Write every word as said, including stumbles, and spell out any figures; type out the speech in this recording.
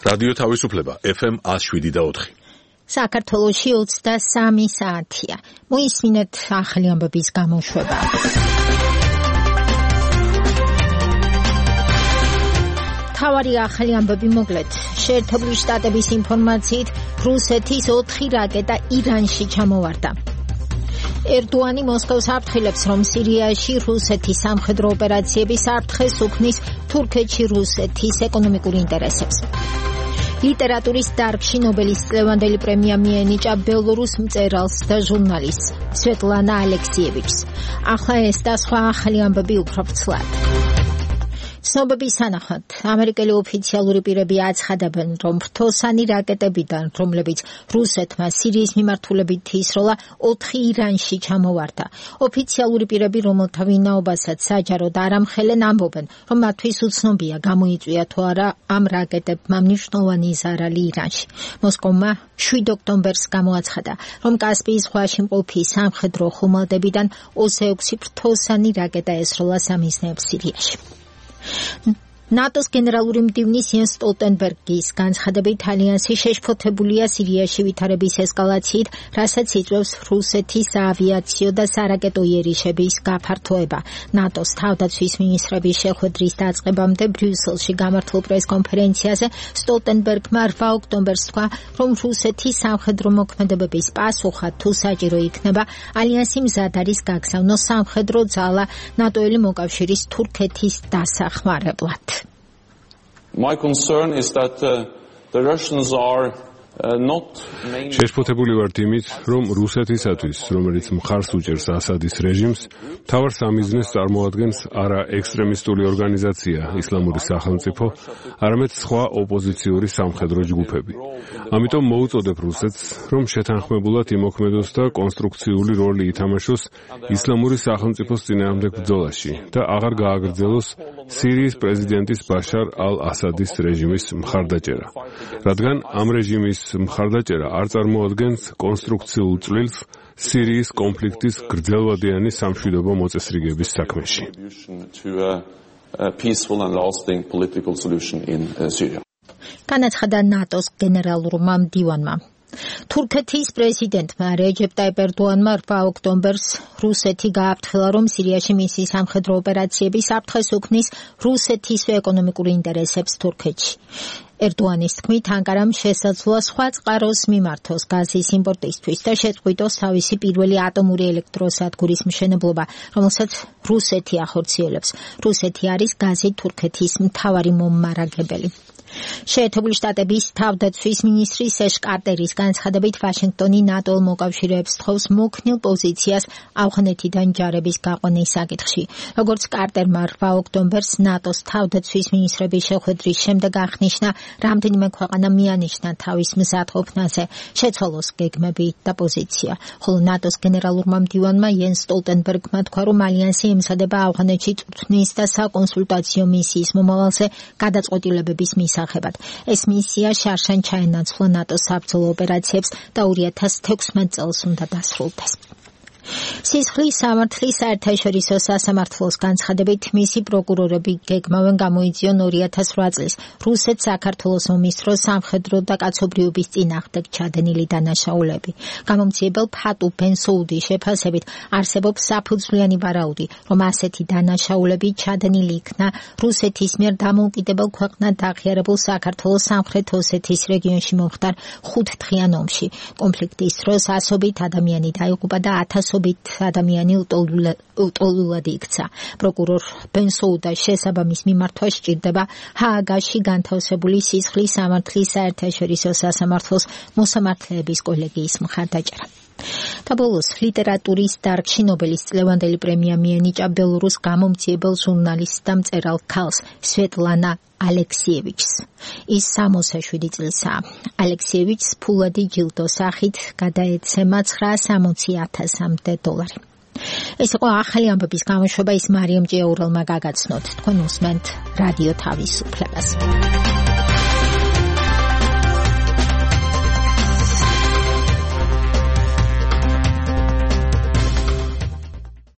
რადიო თავისუფლება ეფ ემ one oh seven point four. საქართველოში ოცდასამი საათია. მოისმინეთ ახალი ამბების გამოშვება. თავარი ახალი ამბები მოგლეთ. შეერთებული შტატების ინფორმაციით რუსეთის ოთხი რაკეტა ირანში ჩამოვარდა. ერდოანი მოსკოვს აფრთხილებს, რომ სირიაში რუსეთის სამხედრო ოპერაციების საფრთხეს უქმნის თურქეთში რუსეთის ეკონომიკურ ინტერესებს. ლიტერატურის დარგში ნობელის წლევანდელი პრემია მიენიჭა ბელორუს მწერალს და ჟურნალისტს სვეტლანა ალექსიევიჩს. ახლა ეს და სხვა ახალი ამბები უფრო ვრცლად. ცნობების თანახმად, ამერიკელი ოფიციალური პირები აცხადებენ, რომ ფრთოსანი რაკეტებიდან, რომლებიც რუსეთმა სირიის მიმართულებით ისროლა, ოთხი ირანში ჩამოვარდა. ოფიციალური პირები, რომელთა ვინაობასაც საჯაროდ არ ამხელენ, ამბობენ, რომ მათთვის უცნობია გამოიწვია თუ არა ამ რაკეტებმა მნიშვნელოვანი ზარალი ირანში. მოსკოვმა შვიდ ოქტომბერს გამოაცხადა, რომ კასპიის ზღვაში მყოფი სამხედრო ხომალდებიდან ოცდაექვსი ფრთოსანი რაკეტა ესროლა სამიზნეებს სირიაში. ნატოს გენერალური მდივნის იენს სტოლტენბერგის განცხადებით, ალიანსი შეშფოთებულია სირიაში ვითარების ესკალაციით, რასაც იწვევს რუსეთის აავიაციო და სარაკეტო იერიშების გაფართოება. ნატოს თავდაცვის მინისტრების შეხვედრის დაწყებამდე ბრიუსელში გამართულ პრესკონფერენციაზე სტოლტენბერგმა რვა ოქტომბერს თქვა, რომ რუსეთის სამხედრო მოქმედებების პასუხად თუ საჭირო იქნება, ალიანსი მზად არის გაგზავნოს სამხედრო ძალა ნატოელი მოკავშირის თურქეთის დასახმარებლად. My concern is that uh, the Russians are uh, not შეშფოთებული ვართ იმით, რომ რუსეთისათვის, რომელიც მხარს უჭერს ასადის რეჟიმს, მთავარ სამიზნეს წარმოადგენს არა ექსტრემისტული ორგანიზაცია ისლამური სახელმწიფო, არამედ სხვა ოპოზიციური სამხედრო ჯგუფები. ამიტომ მოუწოდებ რუსეთს, რომ შეთანხმებულად იმოქმედოს და კონსტრუქციული როლი ითამაშოს ისლამური სახელმწიფოს წინააღმდეგ ბრძოლაში და აღარ გააგრძელოს სირიის პრეზიდენტის ბაშარ ალ-ასადის რეჟიმის მხარდაჭერა, რადგან ამ რეჟიმის მხარდაჭერა არ წარმოადგენს კონსტრუქციულ წვლილს სირიის კონფლიქტის გრძელვადიანი სამშვიდობო მოწესრიგების საქმეში. განაცხადა ნატოს გენერალურმა მდივანმა. თურქეთის პრეზიდენტმა რეჯეპ ტაიპ ერდოანმა რვა ოქტომბერს რუსეთი გააფრთხილა, რომ სირიაში მისი სამხედრო ოპერაციების საფრთხეს უქმნის რუსეთის ეკონომიკურ ინტერესებს თურქეთში. ერდოანის თქმით, ანკარამ შესაძლოა სხვა წყაროს მიმართოს გაზის იმპორტისთვის და შეწყვიტოს თავისი პირველი ატომური ელექტროსადგურის მშენებლობა, რომელსაც რუსეთი ახორციელებს. რუსეთი არის გაზით თურქეთის მთავარი მომარაგებელი. შეერთებული შტატების თავდაცვის მინისტრი სეშ კარტერის განცხადებით, ვაშინგტონი ნატო მოკავშირეებს თხოვს მოქნილ პოზიციას ავღანეთიდან ჯარების გაყვანის საკითხში. როგორც კარტერმა რვა ოქტომბერს ნატოს თავდაცვის მინისტრების შეხვედრის შემდეგ აღნიშნა, რამდენიმე ქვეყანა მიანიშნა თავის მზადყოფნაზე, შეცვალოს გეგმები და პოზიცია. ხოლო ნატოს გენერალურმა მდივანმა იენს სტოლტენბერგმა თქვა, რომ ალიანსი ემზადება ავღანეთში წვრთნის და საკონსულტაციო მისიის მომავალზე გადაწყვეტილებების მისაღებად. ეს მისია შარშან ჩაენაცვლა ნატოს საბრძოლო ოპერაციებს და ორი ათას თექვსმეტ წელს უნდა დასრულდეს. სისხლის სამართლის საერთაშორისო სასამართლოს განცხადებით, მისი პროკურორები გეგმავენ გამოიძიონ ორი ათას რვა წლის რუსეთ-საქართველოს ომის დროს სამხედრო და კაცობრიობის წინააღმდეგ ჩადენილი დანაშაულები. გამომცემელ ფატუ ბენსოუდის შეფასებით არსებობს საფუძვლიანი ვარაუდი, რომ ასეთი დანაშაულები ჩადენილი იქნა რუსეთის მიერ დამოუკიდებელ ქვეყნად აღიარებულ საქართველოს სამხრეთ ოსეთის რეგიონში მომხდარ ხუთდღიან ომში. კონფლიქტის დროს ასობით ადამიანი დაიღუპა და ათასობით ადამიანი უტოლულად იქცა. პროკურორ ბენსოუდას შესაბამის მიმართვა სჭირდება ჰააგაში განთავსებული სისხლის სამართლის საერთაშორისო სასამართლოს მოსამართლეების კოლეგიის მხარდაჭერა. და ბოლოს ლიტერატურის დარგში ნობელის წლევანდელი პრემია მიენიჭა ბელორუს გამომცემელ ჟურნალისტს და მწერალ ქალს სვეტლანა ალექსიევიჩს. ის სამოცდაშვიდი წლისაა. ალექსიევიჩს ფულადი ჯილდოს სახით გადაეცემა ცხრაას სამოცი ათასამდე დოლარი. ეს იყო ახალი ამბების გამოშვება, ის მარიამ ჭიაურელმა გაგაცნოთ. თქვენ უსმენთ რადიო თავისუფლებას.